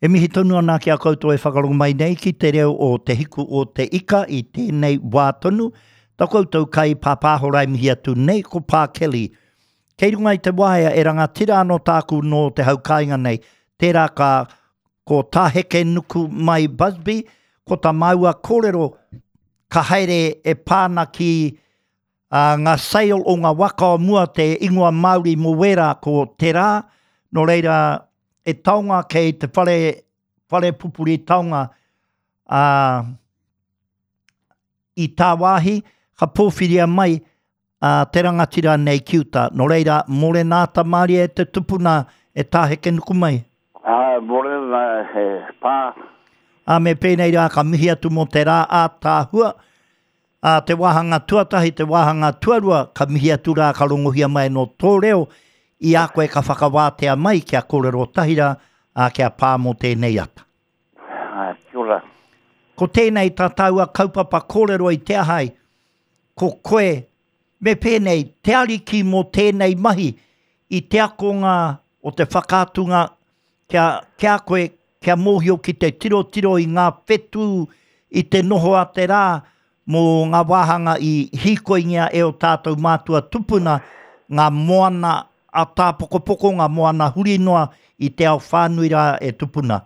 E mihi tonu ana ki a koutou e whakarongo mai nei ki te reo o Te Hiku o Te Ika i tēnei wā tonu. Ta koutou kai pāpāho rai mihi atu nei ko Pā Kelly. Kei runga i te waea e rangatira anō tāku nō te hau kāinga nei. Tērā ka ko Tā Hekenuku mai Busby, ko tā māua kōrero ka haere e pā ana ki Ā, ngā sail o ngā waka o mua te ingoa Māori mō wērā ko Te Rā, nō reira e taonga kei te whare, whare pupuri taonga, ā, i tāwāhi, ka pōwhiria mai ā, te rangatira nei ki uta. Nō reira, mōrena ata mārie te tupuna e Tā Hekenukumai. Ā, mōrena he pā. Ā, me pēnei rā ka mihi atu mō te rā ātaahua, Ā, te wāhanga tuatahi, te wāhanga tuarua, ka mihi atu rā, ka rongohia mai anō tō reo i a koe ka whakawātea mai kia kōrero tahi rā, ā, kia pā mō tēnei ata. Ā, kia ora. Ko tēnei tā tāua kaupapa kōrero i te aha ai, ko koe, me pēnei, te ariki mō tēnei mahi i te akonga o te whakaatunga kia, ki a koe, kia mōhio ki te tirotiro i ngā whetū i te noho a te rā mō ngā wāhanga i hīkoingia e ō tātou mātua tupuna, ngā moana a tāpokopoko, ngā moana huri noa i te ao whānui rā e tupuna.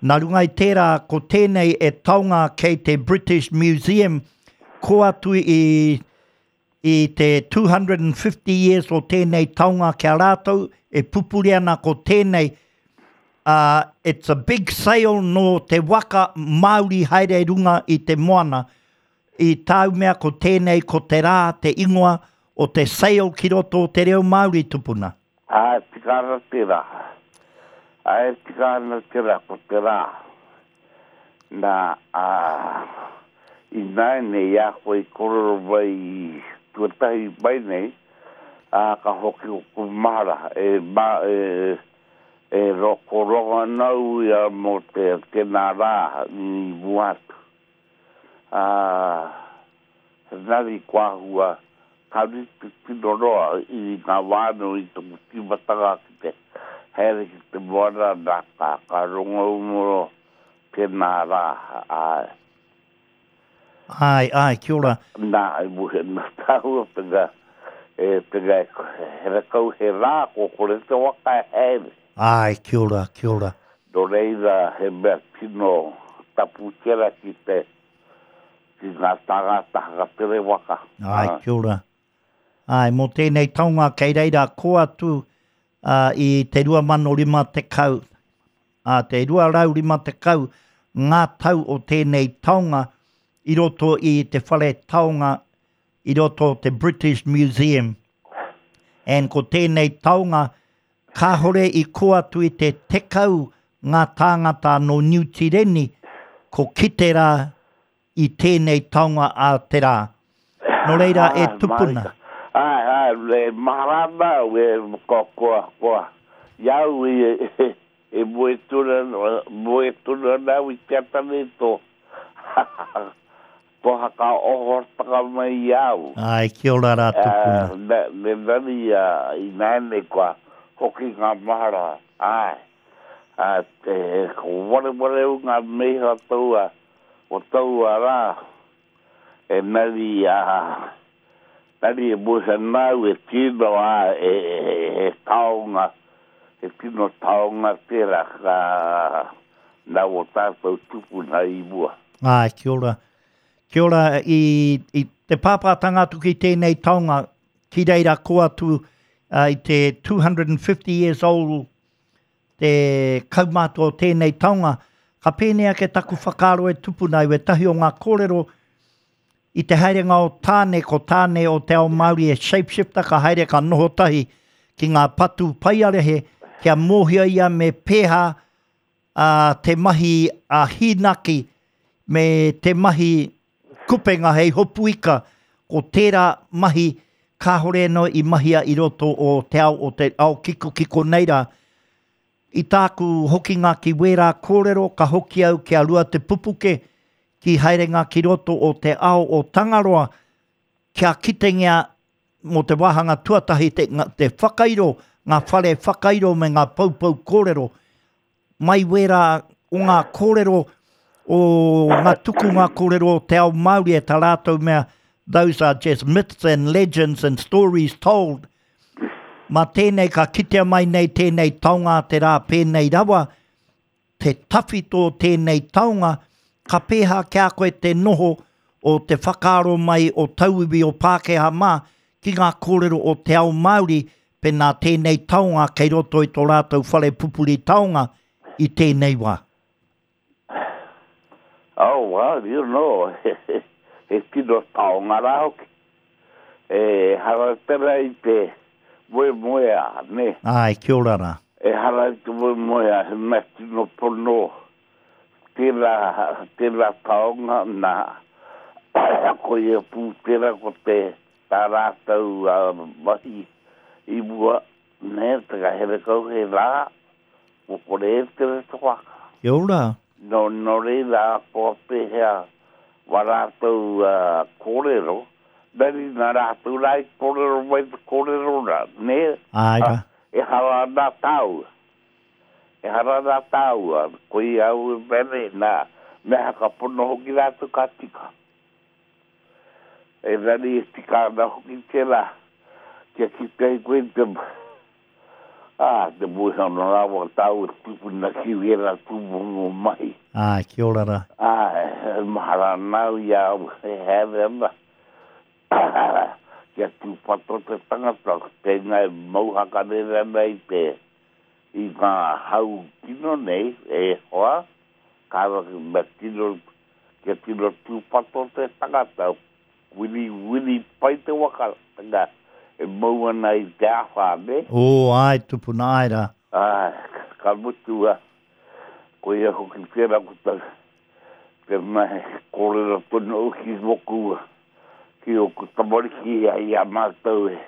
Nā runga i tērā, ko tēnei e taonga kei te British Museum, kō atu i I te 250 years o tēnei taonga ki a rātou, e pupuri ana ko tēnei, ā, it's a big sail nō te waka Māori haere runga i te moana. I tāu mea ko tēnei ko te rā, te ingoa o te sail ki roto o te reo Māori tupuna. Ā, e tika ana tērā. Ā, e tika ana tērā, ko te rā. Nā, ā, ināianei i a koe i kōrero mai i tuatahi mai nei, ā, ka hoki ōku mahara, e, mā, e, e ro, ko rongo ana au ia mō te, tēnā rā i mua atu. Ā, engari kua āhua ka rite tino roa i ngā wā anō i taku tīmatanga ki te haere ki te moana, nā, ka, ka rongo au mō tēnā rā, āe. Āe, āe, kia ora. Nā, e muhe nā tāua pena, e, pena e, herekau he rā, kua kore te waka e haere. Āe, kia ora, kia ora. Nō reira, he mea tino tapu tērā ki te, ki ngā tāngata whakatere waka. Āe, kia ora. Āe, mō tēnei taonga kei reira kō atu i te 2050, ā, te 250 ngā tau o tēnei taonga i roto i te whare taonga i roto o te British Museum. And ko tēnei taonga Kāhore i kō atu i te 10 ngā tāngata nō Niu Tīreni ko kite rā i tēnei taonga a te rā. Nō reira e tupuna. Āe, āe, e mahara ana au e, kua, kua, kua, i a au i, e moe tonu ana, moe tonu ana au i te ata nei tō, Kua whakaohotaka mai i a au. Ae, kia ora ra tupuna. Me, me nani ia inaene kua hoki nga mahara, ae, a, te, ko wareware au nga meiha taua, o taua ra, enari a, nani e moe ana au e tino a, e, e, he taonga, he tino taonga tera ka, Na o tatou tupuna i mua. Āe, kia ora. Kia ora i, i te pāpātanga atu ki tēnei taonga, ki reira kō atu uh, i te 250 years old te kaumātua o tēnei taonga, ka pēnei ake taku whakaaro e tupuna i wētahi o ngā kōrero i te haerenga o Tāne, ko Tāne o te ao Māori e shapeshifter, ka haere ka noho tahi ki ngā patu paiarehe, kia mōhio ia me pēhā ā, te mahi a hīnaki me te mahi kupenga hei hopu ika, ko tērā mahi kāhore anō i mahia i roto o te ao o te ao kikokiko nei rā. I tāku hokinga ki wērā kōrero ka hoki au ki a Ruatepupuke ki haerenga ki roto o te ao o Tangaroa kia kitengia mō te wāhanga tuatahi te, te whakairo, ngā whare whakairo me ngā poupou kōrero. mai wērā o ngā kōrero o ngā tukunga kōrero o te ao Māori e tā rātou mea, those are just myths and legends and stories told. Mā tēnei ka kitea mai nei tēnei taonga a te rā pēnei rawa, te tawhito o tēnei taonga, ka pēhā ki a koe te noho o te whakaaro mai o tauiwi o Pākehā mā ki ngā kōrero o te ao Māori pēnā tēnei taonga kei roto i tō rātou whare pupuri taonga i tēnei wā. Oh, well, you know, he tino taonga rā hoki. Ehara tera i te moemoeā, nē? Āe, kia ora rā. Ehara i te moemoeā, he mea tino pono tērā, tērā taonga, nā, koia pū tērā ko te, tā rātou mahi i mua, nē, te ngahere kau he rā, Kua kore e tere te waka. Kia ora. No, no reira, kua pehea wa ratou korero, engari na ratou ra i korero mai te korero ra, ne? Ae ra. Ehara na taua. Ehara na taua, koia au e mea nei, na, me hakapono hoki ratou ka tika. Engari e tika ana hoki tera, kia kite ai koe i te, Ā, te mōhio rawa tāua tūpuna ki wērā tūmomo mahi. Āe, kia ora rā. Āe, e mahara ana au i a au e haere ana, kia tūpato te tangata, tēnā e mau hakarere ana i te, i ngā hau kino nei, e hoa, kāore mea tino, kia tino tūpato te tangata, Wiri, wiri pai te waka, tanga, e mau ana i te awha, ne? Oh, ae, tupuna, ae ra. Ae, ka mutu, a, koia hoki tera ko ta, te mea he korero tonu au ki moku, ki oku tamariki i a matou e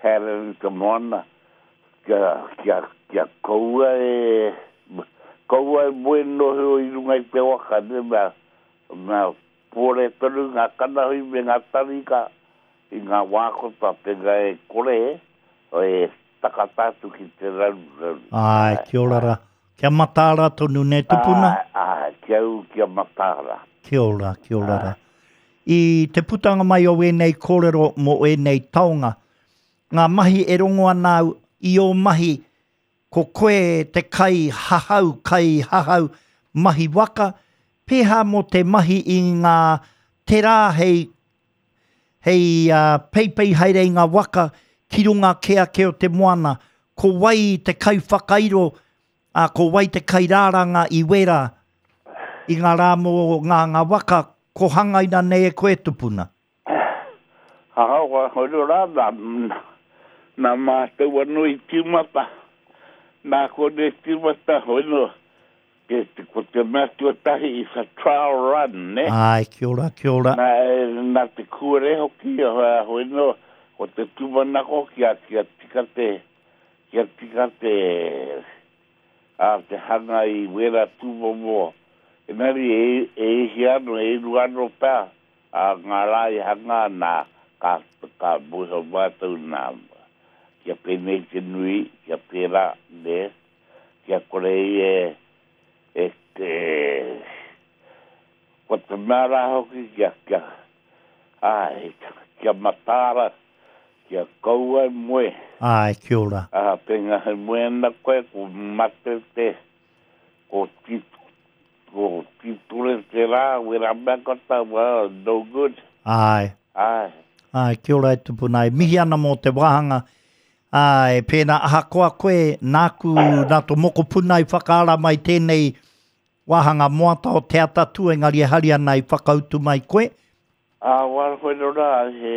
haere ana i te moana, kia, kia, kia kaua e, kaua e moe noho i runga i te waka, ne, mea, mea Pore tonu ngā kanahui me ngā tarika i ngā wā kota pēnā e kore e takata atu ki te raruraru. Āe, kia ora rā. Kia mataara tonu nē tupuna? Āe, āe, kia ū kia mataara. Kia ora, kia ora rā. I te putanga mai o ēnei kōrero mō ēnei taonga, ngā mahi e rongo ana au i ō mahi Ko koe te kai hahau, kai hahau mahi waka, pēhā mō te mahi i ngā te rā hei, hei peipei haere i ngā waka ki runga kē ake o te moana, ko wai te kaiwhakairo, ā, ko wai te kairāranga i wērā, i ngā rā mō ngā, ngā waka ko hangaina nei e koe tupuna? Ahakoa koe rā, nā, nā mātou anō i tīmata, nā konei tīmata, hoi nō, ke, ko te mea tuatahi is a trial run, nē? Āe, kia ora, kia ora. Nā, nā te kūare hoki, hoi nō, ko te tūmanako kia, kia tika te, kia tika te, ā, te hanga i wērā tūmomo, engari e, e ihi anō, e uru anō pea, Ā, ngā rā i hangā, nā, ka, ka mōhio mātou, nā, kia pēnei te nui, kia pērā, nē, kia kore ai e, e, e, ko te mea rā hoki kia, kia, āe, kia mataara, kia kaua e moe. Āe, kia ora. Ā, pēnā e moe ana koe, ko mate te, ko ti, Ko Tītore te rā, wera mea kata, well, no good. Āe. Āe. Āe, kia ora e tupuna. E mihi ana mō te wāhanga. Āe, pēnā ahakoa koe, nāku, nā tō mokopuna i whakaara mai tēnei wāhanga moata o Te Atatū, engari e hari ana i whakautu mai koe. Ā, wā koe nō rā, he,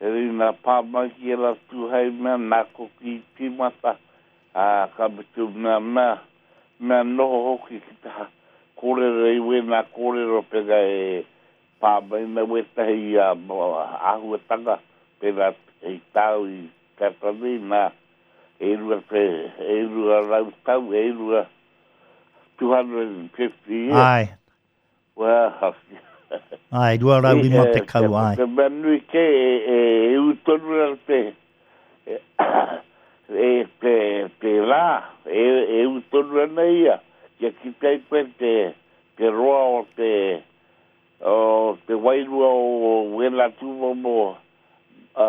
he rina pā mai ki ērā tū hei mea, nā koki i tīmata, ā, ka mutu mea, mea, mea noho hoki ki te kōrero i wēnā kōrero pērā e pā mai ana wētahi āhuatanga pērā i tāu i tata nei, nā, e 200 tau, e 200, 250 years. Āe. Well, Āe, 250, āe. Te mea nui kē, e ū tonu ana te, E te, te rā, e, e ū tonu ana ia, kia kite ai koe te, te roa o te, o te wairua o wēnā tūmomo, ā,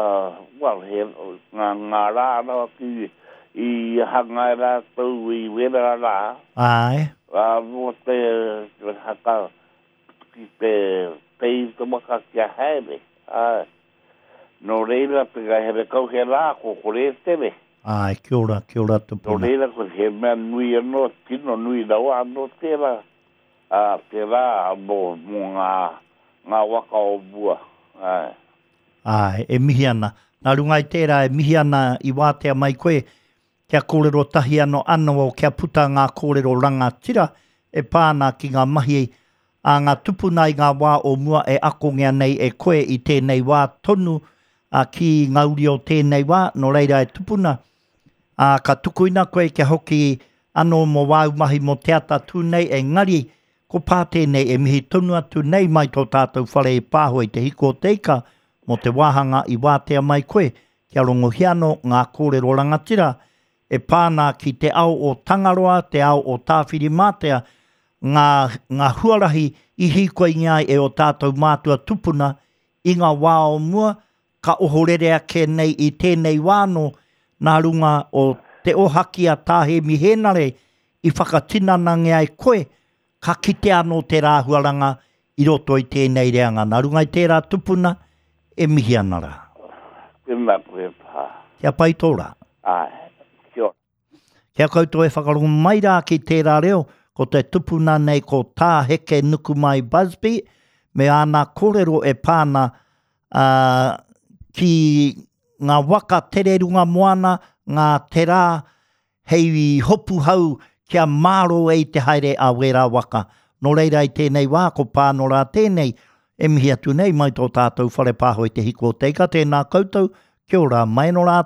well, he, ngā, ngā rā rawa ki, i hanga e rātou i wērā rā. Āe. Ā, mō te, te haka, ki te pei te waka kia haere, āe. Nō reira, te ngahere kau he rā, ko kore e tere. Āe, kia ora, kia ora tupuna. Nō reira, ko he mea nui anō, tino nui rawa anō tērā, ā, tērā mō, mō ngā, ngā waka o mua, āe. Āe, e mihi ana. Nā runga i tērā, e mihi ana i wātea mai koe kia kōrero tahi anō anō kia puta ngā kōrero rangatira e pā ana ki ngā mahi a ngā tupuna i ngā wā o mua e akongia nei e koe i tēnei wā tonu ā, ki ngā uri o tēnei wā, nō reira e tupuna, ā, ka tukuina koe kia hoki anō mō wāu mahi mō te ata tū nei, engari ko pā tēnei e mihi tonu atu nei mai tō tātou whare i Pāhoe i Te Hiku o Te Ika mō te wāhanga i wātea mai koe Kia rongohia anō ngā kōrero rangatira e pā ana ki te ao o Tangaroa, te ao o Tāwhirimātea, ngā, ngā huarahi i hīkoingia ai e ō tātou mātua tupuna i ngā wā o mua, ka ohorere ake nei i tēnei wā anō nā runga o te ohaki a Tā Hēmi Hēnare i whakatinanangia ai koe Ka kitea anō tērā āhuaranga i roto i tēnei reanga. Nā runga i tērā tupuna, e mihi ana rā. Tēnā koe pā. Kia pai tō rā. Āe. Kia ora. Kia koutou e whakarongo mai rā ki tērā reo, ko te tupuna nei ko Tā Heke Nukumai Busby me āna kōrero e pā ana ki ngā waka tere runga moana, ngā terā hei hopu hau kia mārō ai te haere a wērā waka. Nō reira i tēnei wā, ko Pānora tēnei e mihi atu nei mai tō tātou whare pāho i te hiku o te ika. Tēnā koutou, kia ora, mai anō rā.